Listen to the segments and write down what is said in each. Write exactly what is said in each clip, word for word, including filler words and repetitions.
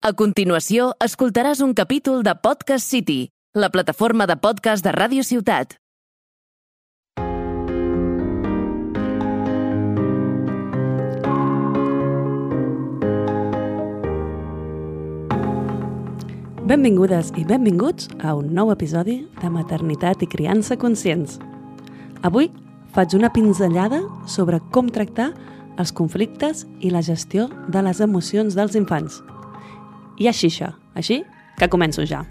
A continuació, escoltaràs un capítol de Podcast City, la plataforma de podcast de Ràdio Ciutat. Benvingudes i benvinguts a un nou episodi de Maternitat i Criança Conscients. Avui faig una pinzellada sobre com tractar els conflictes i la gestió de les emocions dels infants. I així això, així que començo ja.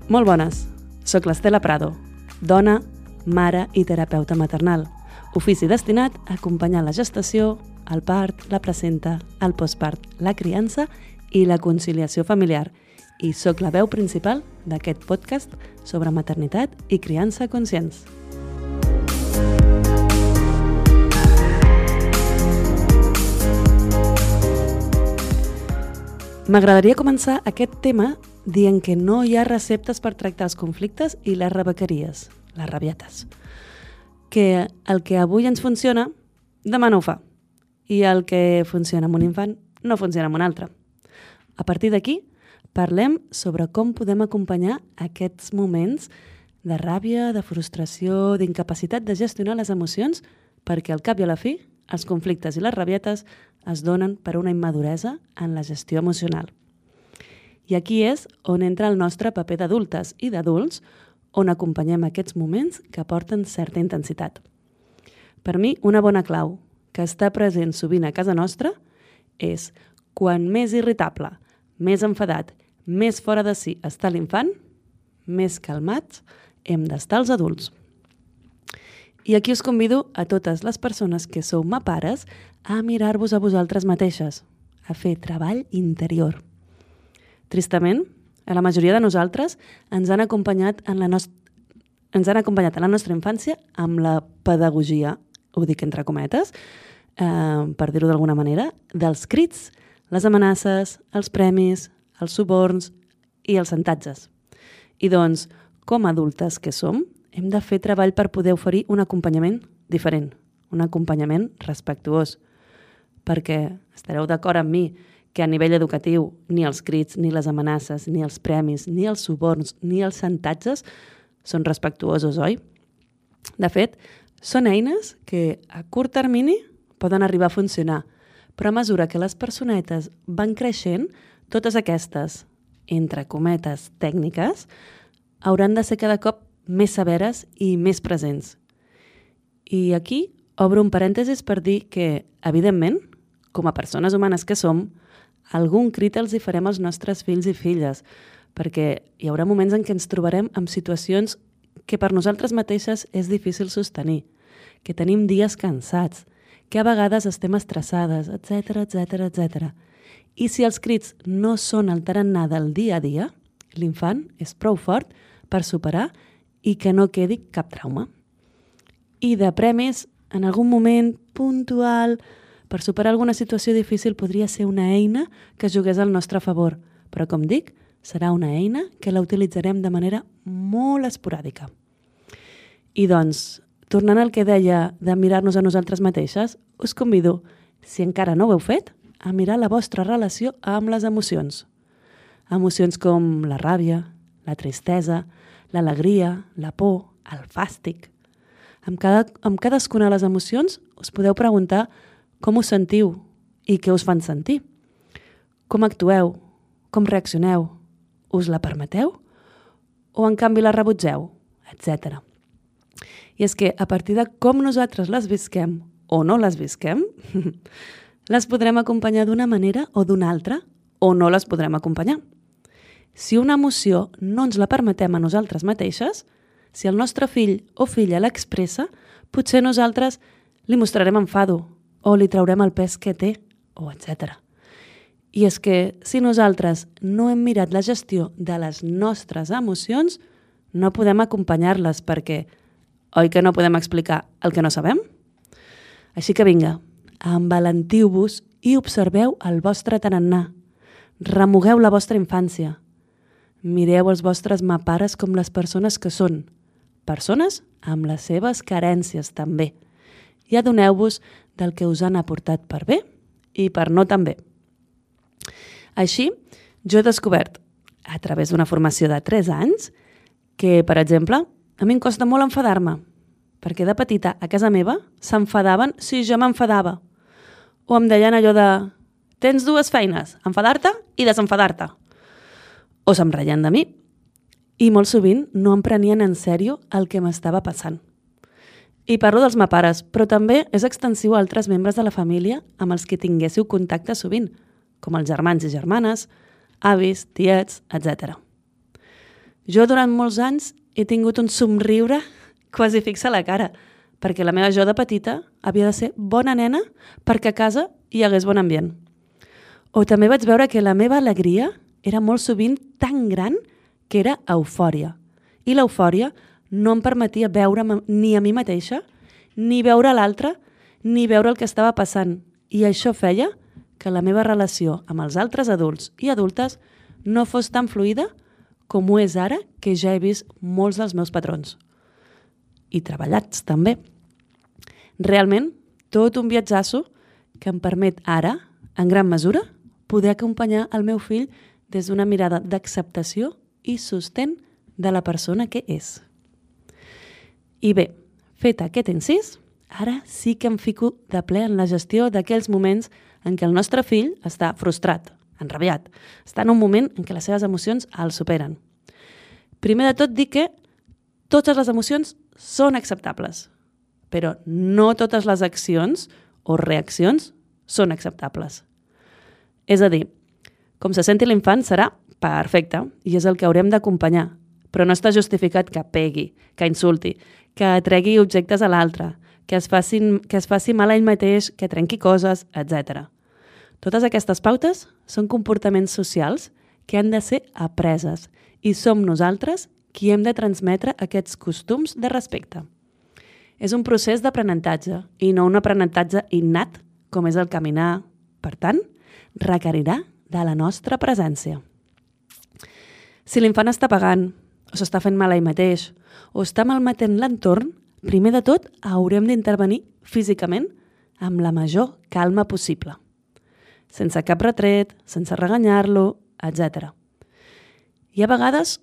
Molt bones, soc l'Estela Prado, dona, mare i terapeuta maternal, ofici destinat a acompanyar la gestació, el part, la placenta, el postpart, la criança i la conciliació familiar, i soc la veu principal d'aquest podcast sobre maternitat i criança conscients. M'agradaria començar aquest tema dient que no hi ha receptes per tractar els conflictes i les rebequeries, les rabietes. Que el que avui ens funciona, demà no ho fa. I el que funciona amb un infant no funciona amb un altre. A partir d'aquí, parlem sobre com podem acompanyar aquests moments de ràbia, de frustració, d'incapacitat de gestionar les emocions, perquè al cap i a la fi, els conflictes i les rabietes es donen per una immaduresa en la gestió emocional. I aquí és on entra el nostre paper d'adultes i d'adults, on acompanyem aquests moments que porten certa intensitat. Per mi, una bona clau que està present sovint a casa nostra és quan més irritable, més enfadat, més fora de si està l'infant, més calmats hem d'estar els adults. I aquí us convido a totes les persones que sou mapares a mirar-vos a vosaltres mateixes, a fer treball interior. Tristament, a la majoria de nosaltres ens han acompanyat en la, nost... ens han acompanyat en la nostra infància amb la pedagogia, ho dic entre cometes, eh, per dir-ho d'alguna manera, dels crits, les amenaces, els premis, els suborns i els xantatges. I doncs, com a adultes que som, hem de fer treball per poder oferir un acompanyament diferent, un acompanyament respectuós. Perquè estareu d'acord amb mi que a nivell educatiu ni els crits, ni les amenaces, ni els premis, ni els suborns, ni els xantatges són respectuosos, oi? De fet, són eines que a curt termini poden arribar a funcionar, però a mesura que les personetes van creixent, totes aquestes, entre cometes, tècniques, hauran de ser cada cop més severes i més presents. I aquí obro un parèntesis per dir que, evidentment, com a persones humanes que som, algun crit els hi farem als nostres fills i filles, perquè hi haurà moments en què ens trobarem en situacions que per nosaltres mateixes és difícil sostenir, que tenim dies cansats, que a vegades estem estressades, etcètera, etcètera, etcètera. I si els crits no són el tarannà del dia a dia, l'infant és prou fort per superar i que no quedi cap trauma. I de premis, en algun moment puntual, per superar alguna situació difícil podria ser una eina que jugués al nostre favor, però com dic, serà una eina que la utilitzarem de manera molt esporàdica. I doncs, tornant al que deia de mirar-nos a nosaltres mateixes, us convido, si encara no ho heu fet, a mirar la vostra relació amb les emocions. Emocions com la ràbia, la tristesa, l'alegria, la por, el fàstic. Amb, cada, amb cadascuna de les emocions us podeu preguntar com us sentiu i què us fan sentir. Com actueu? Com reaccioneu? Us la permeteu? O en canvi la rebutgeu? Etcètera. I és que a partir de com nosaltres les visquem o no les visquem, les podrem acompanyar d'una manera o d'una altra, o no les podrem acompanyar. Si una emoció no ens la permetem a nosaltres mateixes, si el nostre fill o filla l'expressa, potser nosaltres li mostrarem enfado o li traurem el pes que té, o etcètera. I és que si nosaltres no hem mirat la gestió de les nostres emocions, no podem acompanyar-les perquè, oi que no podem explicar el que no sabem? Així que vinga, envalentiu-vos i observeu el vostre tarannà. Remugueu la vostra infància. Mireu els vostres mapares com les persones que són, persones amb les seves carències també, i adoneu-vos del que us han aportat per bé i per no tan bé. Així, jo he descobert, a través d'una formació de tres anys, que, per exemple, a mi em costa molt enfadar-me, perquè de petita a casa meva s'enfadaven si jo m'enfadava. O em deien allò de tens dues feines, enfadar-te i desenfadar-te. O se'm reien de mi. I molt sovint no em prenien en sèrio el que m'estava passant. I parlo dels meus pares, però també és extensiu a altres membres de la família amb els que tinguéssiu contacte sovint, com els germans i germanes, avis, tiets, etcètera. Jo durant molts anys he tingut un somriure quasi fix a la cara, perquè la meva jo de petita havia de ser bona nena perquè a casa hi hagués bon ambient. O també vaig veure que la meva alegria era molt sovint tan gran que era eufòria. I l'eufòria no em permetia veure ni a mi mateixa, ni veure l'altre, ni veure el que estava passant. I això feia que la meva relació amb els altres adults i adultes no fos tan fluida com ho és ara que ja he vist molts dels meus patrons. I treballats, també. Realment, tot un viatjasso que em permet ara, en gran mesura, poder acompanyar el meu fill des d'una mirada d'acceptació i sostén de la persona que és. I bé, fet aquest incís, ara sí que em fico de ple en la gestió d'aquells moments en què el nostre fill està frustrat, enrabiat, està en un moment en què les seves emocions el superen. Primer de tot, dir que totes les emocions són acceptables, però no totes les accions o reaccions són acceptables. És a dir, com se senti l'infant serà perfecte i és el que haurem d'acompanyar, però no està justificat que pegui, que insulti, que tregui objectes a l'altre, que es faci, que es faci mal a ell mateix, que trenqui coses, etcètera. Totes aquestes pautes són comportaments socials que han de ser apreses i som nosaltres qui hem de transmetre aquests costums de respecte. És un procés d'aprenentatge i no un aprenentatge innat com és el caminar. Per tant, requerirà de la nostra presència. Si l'infant està pagant, o s'està fent mal a ell mateix, o està malmetent l'entorn, primer de tot haurem d'intervenir físicament amb la major calma possible. Sense cap retret, sense reganyar-lo, etcètera. Hi ha vegades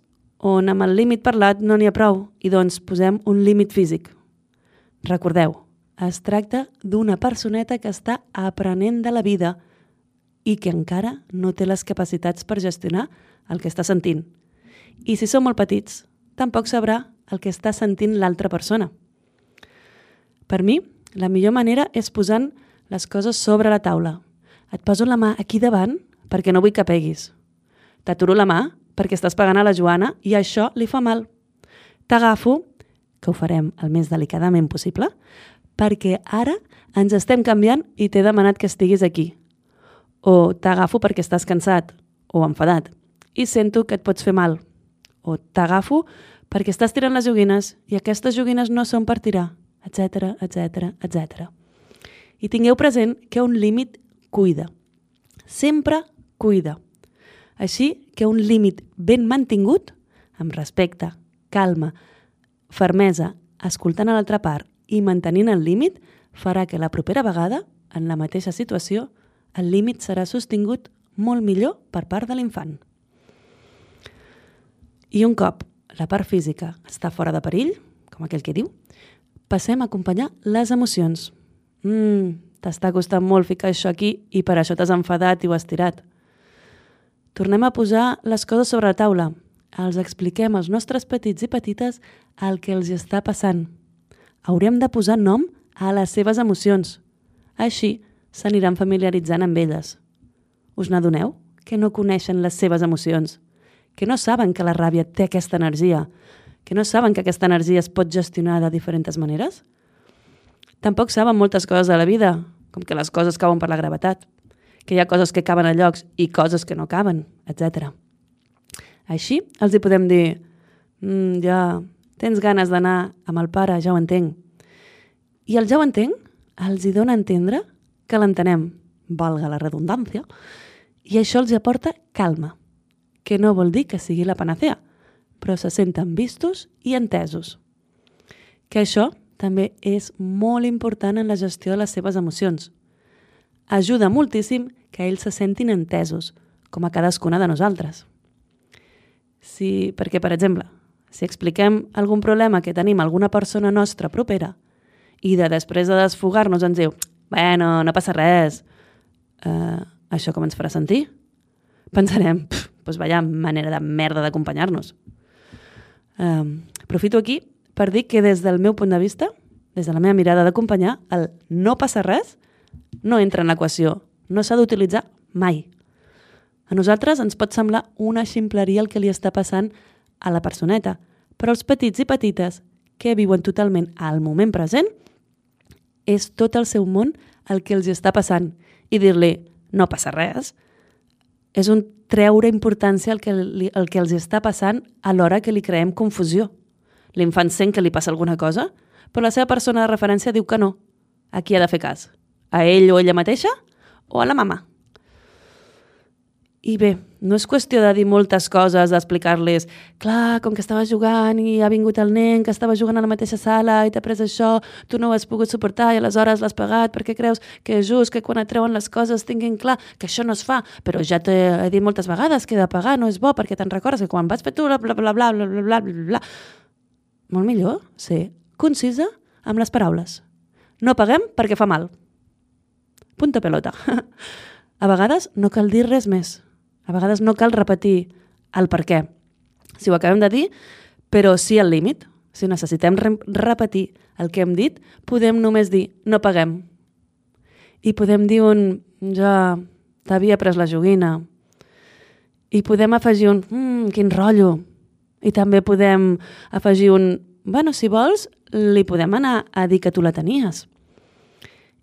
on amb el límit parlat no n'hi ha prou i doncs posem un límit físic. Recordeu, es tracta d'una personeta que està aprenent de la vida i que encara no té les capacitats per gestionar el que està sentint. I si som molt petits, tampoc sabrà el que està sentint l'altra persona. Per mi, la millor manera és posant les coses sobre la taula. Et poso la mà aquí davant perquè no vull que peguis. T'aturo la mà perquè estàs pegant a la Joana i això li fa mal. T'agafo, que ho farem el més delicadament possible, perquè ara ens estem canviant i t'he demanat que estiguis aquí. O t'agafo perquè estàs cansat o enfadat i sento que et pots fer mal. O t'agafo perquè estàs tirant les joguines i aquestes joguines no són per tirar, etcètera, etcètera, etcètera. I tingueu present que un límit cuida. Sempre cuida. Així que un límit ben mantingut, amb respecte, calma, fermesa, escoltant a l'altra part i mantenint el límit, farà que la propera vegada, en la mateixa situació, el límit serà sostingut molt millor per part de l'infant. I un cop la part física està fora de perill, com aquell que diu, passem a acompanyar les emocions. Mm, t'està costant molt ficar això aquí i per això t'has enfadat i ho has tirat. Tornem a posar les coses sobre la taula. Els expliquem als nostres petits i petites el que els està passant. Haurem de posar nom a les seves emocions. Així s'aniran familiaritzant amb elles. Us n'adoneu que no coneixen les seves emocions? Que no saben que la ràbia té aquesta energia? Que no saben que aquesta energia es pot gestionar de diferents maneres? Tampoc saben moltes coses de la vida, com que les coses cauen per la gravetat, que hi ha coses que caben a llocs i coses que no caben, etcètera. Així els hi podem dir mm, ja tens ganes d'anar amb el pare, ja ho entenc. I el ja ho entenc els hi dona a entendre que l'entenem, valga la redundància, i això els hi aporta calma, que no vol dir que sigui la panacea, però se senten vistos i entesos. Que això també és molt important en la gestió de les seves emocions. Ajuda moltíssim que ells se sentin entesos, com a cadascuna de nosaltres. Si, perquè, per exemple, si expliquem algun problema que tenim a alguna persona nostra propera i de després de desfogar-nos ens diu «Bueno, no passa res», eh, això com ens farà sentir? Pensarem «Doncs vaya manera de merda d'acompanyar-nos». Eh, aprofito aquí per dir que des del meu punt de vista, des de la meva mirada d'acompanyar, el «no passa res» no entra en l'equació, no s'ha d'utilitzar mai. A nosaltres ens pot semblar una ximpleria el que li està passant a la personeta, però els petits i petites que viuen totalment al moment present és tot el seu món el que els està passant i dir-li no passa res és un treure importància al que, li, al que els està passant a l'hora que li creem confusió. L'infant sent que li passa alguna cosa, però la seva persona de referència diu que no. A qui ha de fer cas? A ell o ella mateixa o a la mama? I bé, no és qüestió de dir moltes coses, d'explicar-les clar, com que estava jugant i ha vingut el nen que estava jugant a la mateixa sala i t'ha pres això, tu no ho has pogut suportar i aleshores l'has pagat perquè creus que és just que quan et treuen les coses tinguin clar que això no es fa, però ja t'he dit moltes vegades que de pagar no és bo perquè te'n recordes que quan vas fer tu bla bla bla bla bla bla bla bla bla. Molt millor ser concisa amb les paraules. No paguem perquè fa mal. Punta pelota. A vegades no cal dir res més. A vegades no cal repetir el per què. Si ho acabem de dir, però sí al límit. Si necessitem re- repetir el que hem dit, podem només dir no paguem. I podem dir un ja t'havia pres la joguina. I podem afegir un mmm, quin rotllo. I també podem afegir un bueno, si vols, li podem anar a dir que tu la tenies.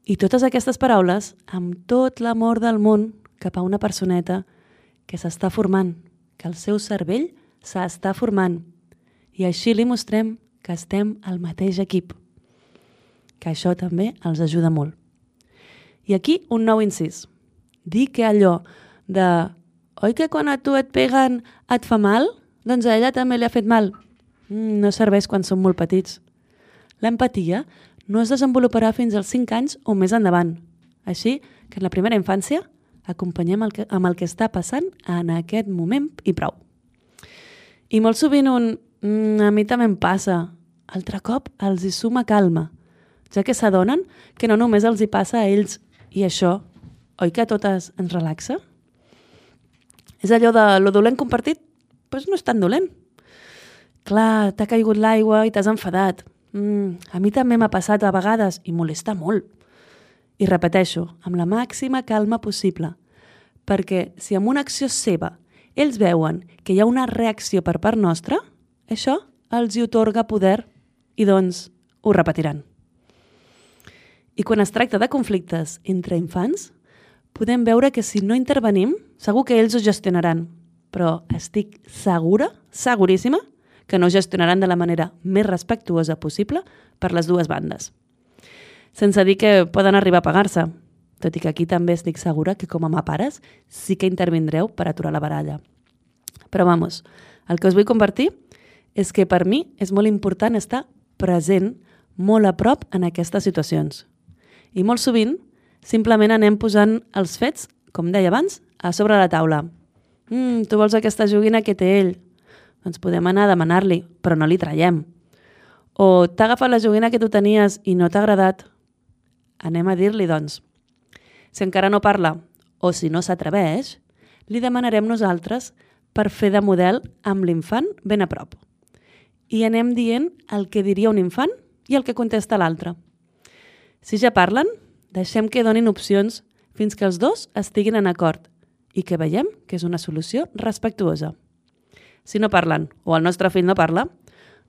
I totes aquestes paraules, amb tot l'amor del món cap a una personeta que s'està formant, que el seu cervell s'està formant. I així li mostrem que estem al mateix equip. Que això també els ajuda molt. I aquí un nou incís. Dir que allò de oi que quan a tu et peguen et fa mal? Doncs a ella també li ha fet mal. Mm, no serveix quan som molt petits. L'empatia no es desenvoluparà fins als cinc anys o més endavant. Així que en la primera infància acompanyem el que, amb el que està passant en aquest moment i prou. I molt sovint un mm, a mi també em passa, altre cop els hi suma calma, ja que s'adonen que no només els hi passa a ells i això, oi que a totes ens relaxa? És allò de lo dolent compartit? Doncs no és tan dolent. Clar, t'ha caigut l'aigua i t'has enfadat. Mm, a mi també m'ha passat a vegades i molesta molt. I repeteixo, amb la màxima calma possible, perquè si amb una acció seva ells veuen que hi ha una reacció per part nostra, això els hi otorga poder i doncs ho repetiran. I quan es tracta de conflictes entre infants, podem veure que si no intervenim, segur que ells ho gestionaran, però estic segura, seguríssima, que no gestionaran de la manera més respectuosa possible per les dues bandes. Sense dir que poden arribar a pagar-se, tot i que aquí també estic segura que com a pares sí que intervindreu per aturar la baralla. Però vamos, el que us vull compartir és que per mi és molt important estar present molt a prop en aquestes situacions. I molt sovint simplement anem posant els fets, com deia abans, a sobre la taula. Mm, tu vols aquesta joguina que té ell? Doncs podem anar a demanar-li, però no li traiem. O t'ha agafat la joguina que tu tenies i no t'ha agradat? Anem a dir-li, doncs. Si encara no parla o si no s'atreveix, li demanarem nosaltres per fer de model amb l'infant ben a prop. I anem dient el que diria un infant i el que contesta l'altre. Si ja parlen, deixem que donin opcions fins que els dos estiguin en acord i que veiem que és una solució respectuosa. Si no parlen o el nostre fill no parla,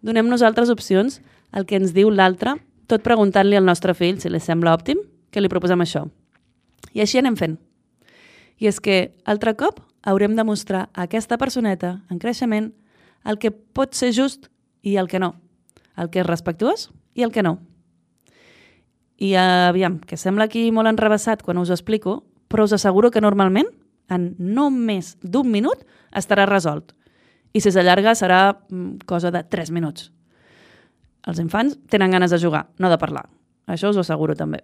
donem nosaltres opcions al que ens diu l'altre, tot preguntant-li al nostre fill si li sembla òptim que li proposem això. I així anem fent. I és que, altre cop, haurem de mostrar a aquesta personeta en creixement el que pot ser just i el que no, el que és respectuós i el que no. I aviam, que sembla aquí molt enrevessat quan us ho explico, però us asseguro que normalment, en no més d'un minut, estarà resolt. I si s'allarga serà cosa de tres minuts. Els infants tenen ganes de jugar, no de parlar. Això us ho asseguro també.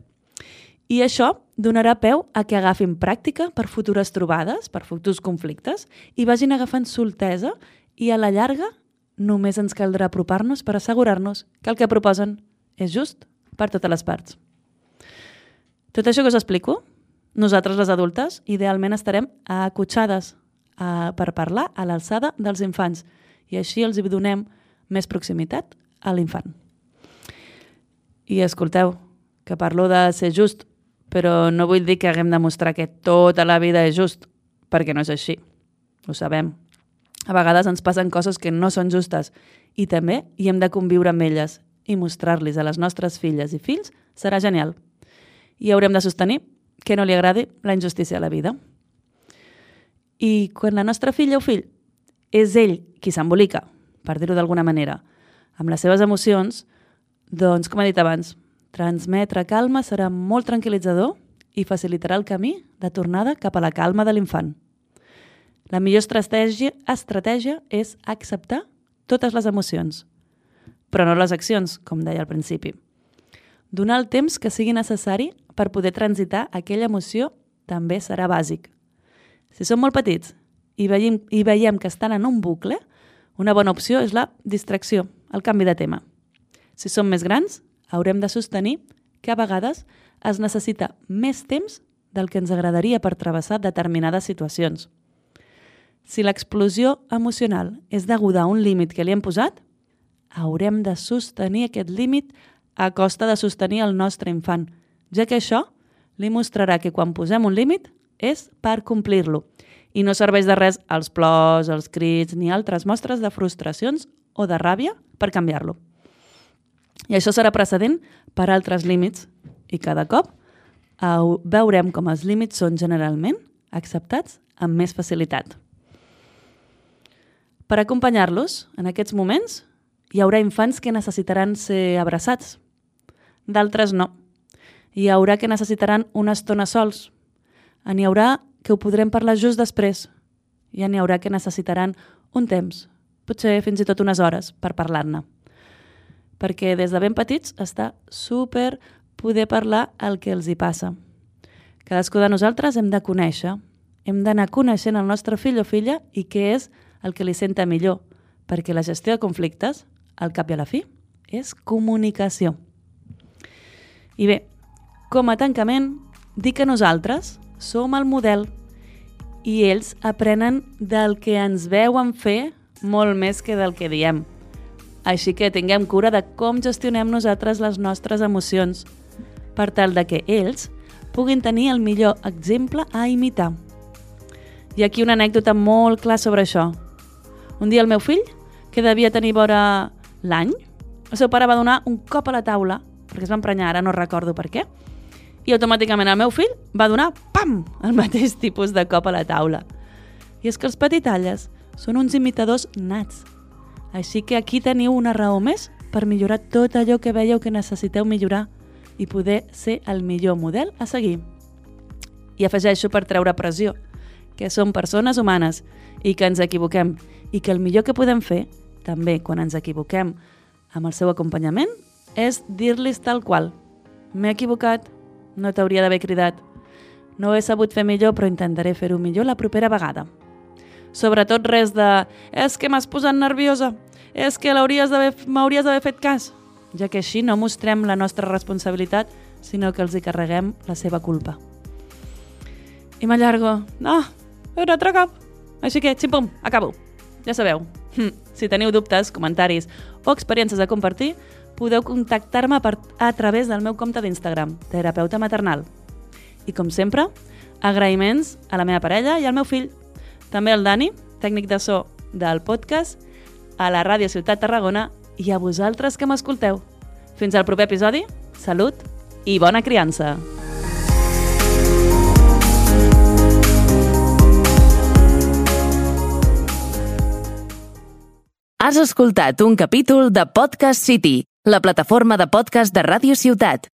I això donarà peu a que agafin pràctica per futures trobades, per futurs conflictes, i vagin agafant soltesa i a la llarga només ens caldrà apropar-nos per assegurar-nos que el que proposen és just per totes les parts. Tot això que us explico, nosaltres les adultes idealment estarem acotxades a, per parlar a l'alçada dels infants i així els hi donem més proximitat a l'infant. I escolteu, que parlo de ser just, però no vull dir que haguem de mostrar que tota la vida és just, perquè no és així. Ho sabem. A vegades ens passen coses que no són justes i també hi hem de conviure amb elles i mostrar-los a les nostres filles i fills serà genial. I haurem de sostenir que no li agradi la injustícia a la vida. I quan la nostra filla o fill és ell qui s'embolica, per dir-ho d'alguna manera, amb les seves emocions, doncs, com he dit abans, transmetre calma serà molt tranquil·litzador i facilitarà el camí de tornada cap a la calma de l'infant. La millor estratègia, estratègia és acceptar totes les emocions, però no les accions, com deia al principi. Donar el temps que sigui necessari per poder transitar aquella emoció també serà bàsic. Si som molt petits i veiem, i veiem que estan en un bucle, una bona opció és la distracció, el canvi de tema. Si som més grans, haurem de sostenir que a vegades es necessita més temps del que ens agradaria per travessar determinades situacions. Si l'explosió emocional és deguda a un límit que li hem posat, haurem de sostenir aquest límit a costa de sostenir el nostre infant, ja que això li mostrarà que quan posem un límit és per complir-lo i no serveix de res els plors, els crits ni altres mostres de frustracions o de ràbia per canviar-lo. I això serà precedent per altres límits i cada cop veurem com els límits són generalment acceptats amb més facilitat. Per acompanyar-los en aquests moments hi haurà infants que necessitaran ser abraçats, d'altres no. Hi haurà que necessitaran una estona sols. N'hi haurà que ho podrem parlar just després. I n'hi haurà que necessitaran un temps, potser fins i tot unes hores, per parlar-ne. Perquè des de ben petits està super poder parlar el que els hi passa. Cadascú de nosaltres hem de conèixer, hem d'anar coneixent el nostre fill o filla i què és el que li senta millor, perquè la gestió de conflictes, al cap i a la fi, és comunicació. I bé, com a tancament, dir que nosaltres som el model i ells aprenen del que ens veuen fer molt més que del que diem. Així que tinguem cura de com gestionem nosaltres les nostres emocions, per tal de que ells puguin tenir el millor exemple a imitar. Hi ha aquí una anècdota molt clara sobre això. Un dia el meu fill, que devia tenir vora l'any, el seu pare va donar un cop a la taula, perquè es va emprenyar, ara no recordo per què, i automàticament el meu fill va donar, pam!, el mateix tipus de cop a la taula. I és que els petitalles són uns imitadors nats. Així que aquí teniu una raó més per millorar tot allò que veieu que necessiteu millorar i poder ser el millor model a seguir. I afegeixo per treure pressió, que som persones humanes i que ens equivoquem i que el millor que podem fer, també quan ens equivoquem amb el seu acompanyament, és dir-los tal qual. M'he equivocat, no t'hauria d'haver cridat. No he sabut fer millor, però intentaré fer-ho millor la propera vegada. Sobretot res de és que m'has posat nerviosa, és que m'hauries d'haver fet cas, ja que així no mostrem la nostra responsabilitat, sinó que els hi carreguem la seva culpa. I m'allargo. No, un altre cop. Així que, xim-pum, acabo. Ja sabeu, si teniu dubtes, comentaris o experiències a compartir, podeu contactar-me a través del meu compte d'Instagram, terapeuta maternal. I com sempre, agraïments a la meva parella i al meu fill. També al Dani, tècnic de so del podcast, a la Ràdio Ciutat Tarragona i a vosaltres que m'escolteu. Fins al proper episodi, salut i bona criança! Has escoltat un capítol de Podcast City, la plataforma de podcast de Ràdio Ciutat.